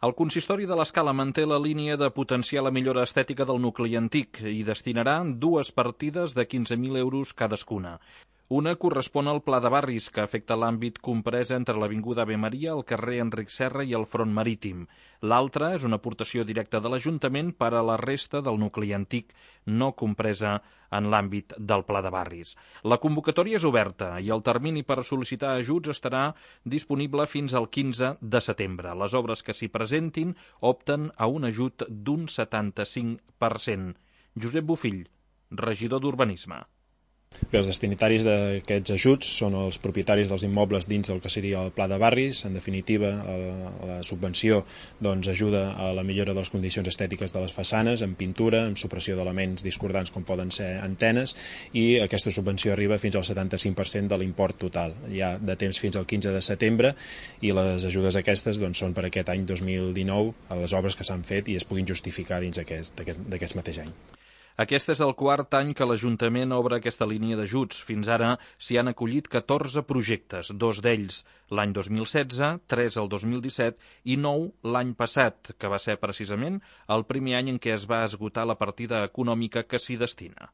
El consistori de l'Escala manté la línia de potenciar la millora estètica del nucli antic i destinarà 2 partides de 15.000 euros cadascuna. Una correspon al Pla de Barris, que afecta l'àmbit comprès entre l'Avinguda Ave Maria, el carrer Enric Serra i el Front Marítim. L'altra és una aportació directa de l'Ajuntament per a la resta del nucli antic, no compresa en l'àmbit del Pla de Barris. La convocatòria és oberta i el termini per sol·licitar ajuts estarà disponible fins al 15 de setembre. Les obres que s'hi presentin opten a un ajut d'un 75%. Josep Bofill, regidor d'Urbanisme. Els destinataris d'aquests ajuts són els propietaris dels immobles dins del que seria el Pla de Barris. En definitiva, la subvenció ajuda a la millora de les condicions estètiques de les façanes, en pintura, en supressió d'elements discordants com poden ser antenes, i aquesta subvenció arriba fins al 75% de l'import total. Hi ha de temps fins al 15 de setembre i les ajudes aquestes són per aquest any 2019 a les obres que s'han fet i es puguin justificar dins d'aquest mateix any. Aquest és el 4è any que l'Ajuntament obre aquesta línia d'ajuts. Fins ara s'hi han acollit 14 projectes, 2 d'ells l'any 2016, 3 el 2017 i 9 l'any passat, que va ser precisament el primer any en què es va esgotar la partida econòmica que s'hi destina.